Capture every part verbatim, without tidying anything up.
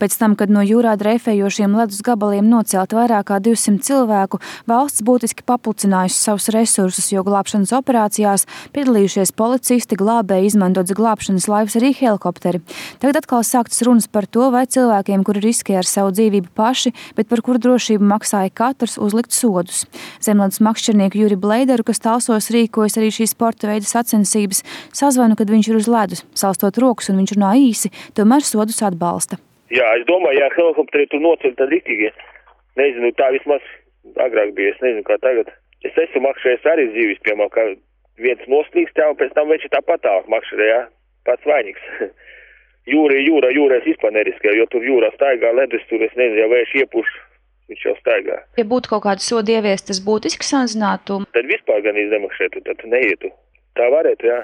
Pēc tam, kad no jūrā dreifējošiem ledus gabaliem nocelt vairāk kā divsimt cilvēku, valsts būtiski papucinājusi savus resursus, jo glābšanas operācijās piedalījušies policisti, glābēji, izmantots glābšanas laivas, arī helikopteri. Tagad atkal sāktas runas par to, vai cilvēkiem, kuri riskē ar savu dzīvību paši, bet par kuru drošību maksāja katrs, uzlikt sodus. Zemledus makšķernieku Juri Bleideru, kas Talsos rīkojas arī šī sporta veida sacensības, sazvanu, kad viņš ir uz ledus, salstot rokas un viņš runā īsi, tomēr sodus atbalsta. Jā, es domāju, ja helikopteri tur noceļ, tad itīgi. Nezinu, tā vismaz agrāk bija, es nezinu, kā tagad. Es esmu makšķerējis arī dzīvis, piemēram, kā viens noslīgst, jā, un pēc tam viņš ir tāpat tālāk makšķerē, jā, pats vainīgs. Jūra, jūra, jūra es vispār neriskēju, jo tur jūrā staigā ledus, tur es nezinu, ja vējš iepuš, viņš jau staigā. Ja būtu kaut kāda soda ieviest, tas būtiski samazinātu? Tad vispār gan izdemakšētu, tad neietu. Tā varētu, jā.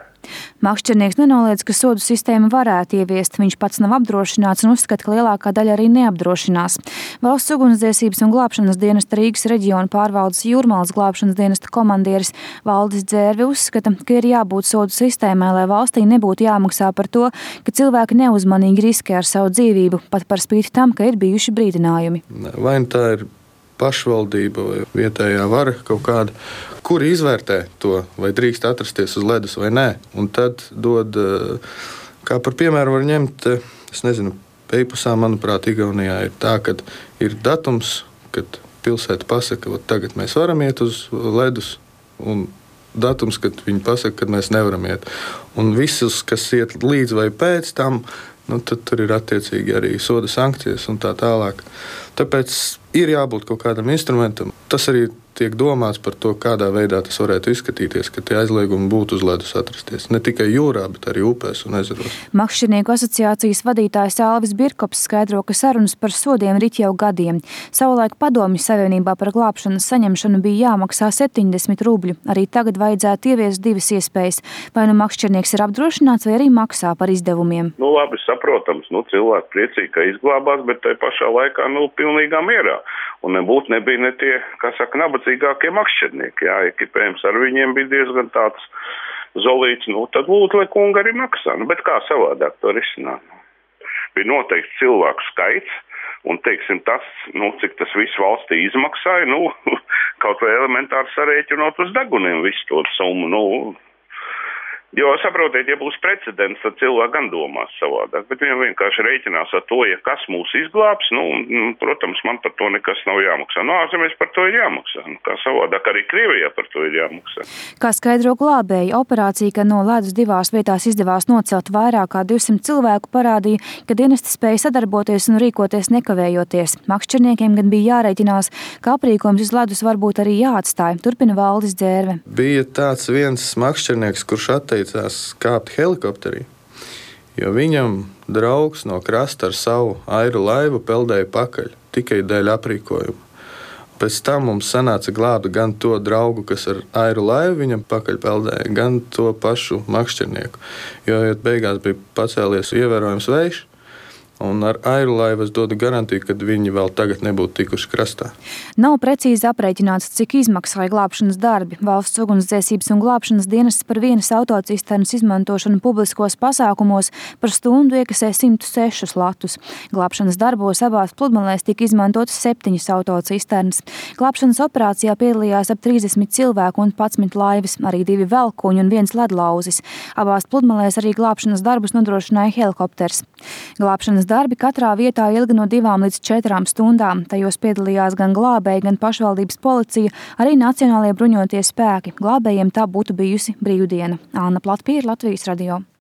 Makšķernieks nenoliedz, ka sodu sistēmu varētu ieviest. Viņš pats nav apdrošināts un uzskata, ka lielākā daļa arī neapdrošinās. Valsts ugunsdzēsības un glābšanas dienesta Rīgas reģiona pārvaldes Jūrmalas glābšanas dienesta komandieris Valdis Dzērvi uzskata, ka ir jābūt sodu sistēmai, lai valstī nebūtu jāmaksā par to, ka cilvēki neuzmanīgi riskē ar savu dzīvību, pat par spīti tam, ka ir bijuši brīdinājumi. Vai tā ir pašvaldība vai vietējā vara kaut kāda, kuri izvērtē to, vai drīkst atrasties uz ledus vai nē. Un tad dod, kā par piemēru var ņemt, es nezinu, Peipusā, manuprāt, Igaunijā ir tā, ka ir datums, kad pilsēta pasaka, ka tagad mēs varam iet uz ledus, un datums, kad viņi pasaka, ka mēs nevaram iet. Un visus, kas iet līdz vai pēc tam, nu, tad tur ir attiecīgi arī soda sankcijas un tā tālāk. Tāpēc ir jābūt kaut kādam instrumentam. Tas arī tiek domāts par to, kādā veidā tas varētu izskatīties, ka tie aizliegumi būtu uz ledus atrasties. Ne tikai jūrā, bet arī upēs un ezeros. Makšķernieku asociācijas vadītājs Alvis Birkops skaidro, ka sarunas par sodiem rit jau gadiem. Savulaik Padomju Savienībā par glābšanas saņemšanu bija jāmaksā septiņdesmit rubļu. Arī tagad vajadzētu ieviest divas iespējas. Vai nu makšķernieks ir apdrošināts, vai arī maksā par izdevumiem. Nu, labi, saprotams, nu, cilvēki priecīgi, ka izglābās, bet tai pašā laikā, nu, pilnīgā mierā. Un nebūtu nebija ne tie, kā saka, nabadzīgākie makšķernieki, jā, ekipējums ar viņiem bija diezgan tāds zolīts, nu, tad lūdzu, lai kunga arī maksā, nu, bet kā savādāk to risināt? Bija noteikti cilvēku skaits, un, teiksim, tas, nu, cik tas viss valstī izmaksāja, nu, kaut vai elementāri sarēķinot uz deguniem visu to summu, nu, jo, saprotiet, ja būs precedents, tad cilvēki gan domās savādāk, bet viņam vienkārši rēķinās ar to, ja kas mūs izglābs, nu, nu protams, man par to nekas nav jāmaksā. Nu, ārzemēs par to ir jāmaksā, nu, kā savādāk arī Krievijā par to ir jāmaksā. Kā skaidro glābēji, operācija, ka no ledus divās vietās izdevās nocelt vairāk kā divsimt cilvēku, parādīja, ka dienesti spēja sadarboties un rīkoties nekavējoties. Makšķerniekiem gan bija jārēķinās, ka aprīkojums uz ledus varbūt arī jāatstāj, turpina Valdis Dzērve. Bija tāds viens makšķernieks, kurš atteicās kāpt helikopterī, jo viņam draugs no krasta ar savu airu laivu peldēja pakaļ, tikai dēļ aprīkojuma. Pēc tam mums sanāca glābt gan to draugu, kas ar airu laivu viņam pakaļ peldēja, gan to pašu makšķernieku, jo beigās bija pacēlies ievērojams vējš, un ar airu laivu es dodu garantiju, ka viņi vēl tagad nebūtu tikuši krastā. Nav precīzi aprēķināts, cik izmaksāja glābšanas darbi. Valsts ugunsdzēsības un glābšanas dienests par vienas autocisternas izmantošanu publiskos pasākumos par stundu iekasē simt sešus latus. Glābšanas darbos abās pludmalēs tika izmantotas septiņas autocisternas. Glābšanas operācijā piedalījās ap trīsdesmit cilvēku un padsmit laivas, arī divi velkuņi un viens ledlauzis. Abās pludmalēs arī glābšanas darbus nodrošināja helikopters. Glābšanas darbi katrā vietā ilga no divām līdz četrām stundām. Tajos piedalījās gan glābēji, gan pašvaldības policija, arī Nacionālie bruņotie spēki. Glābējiem tā būtu bijusi brīvdiena. Anna Platpīra, Latvijas radio.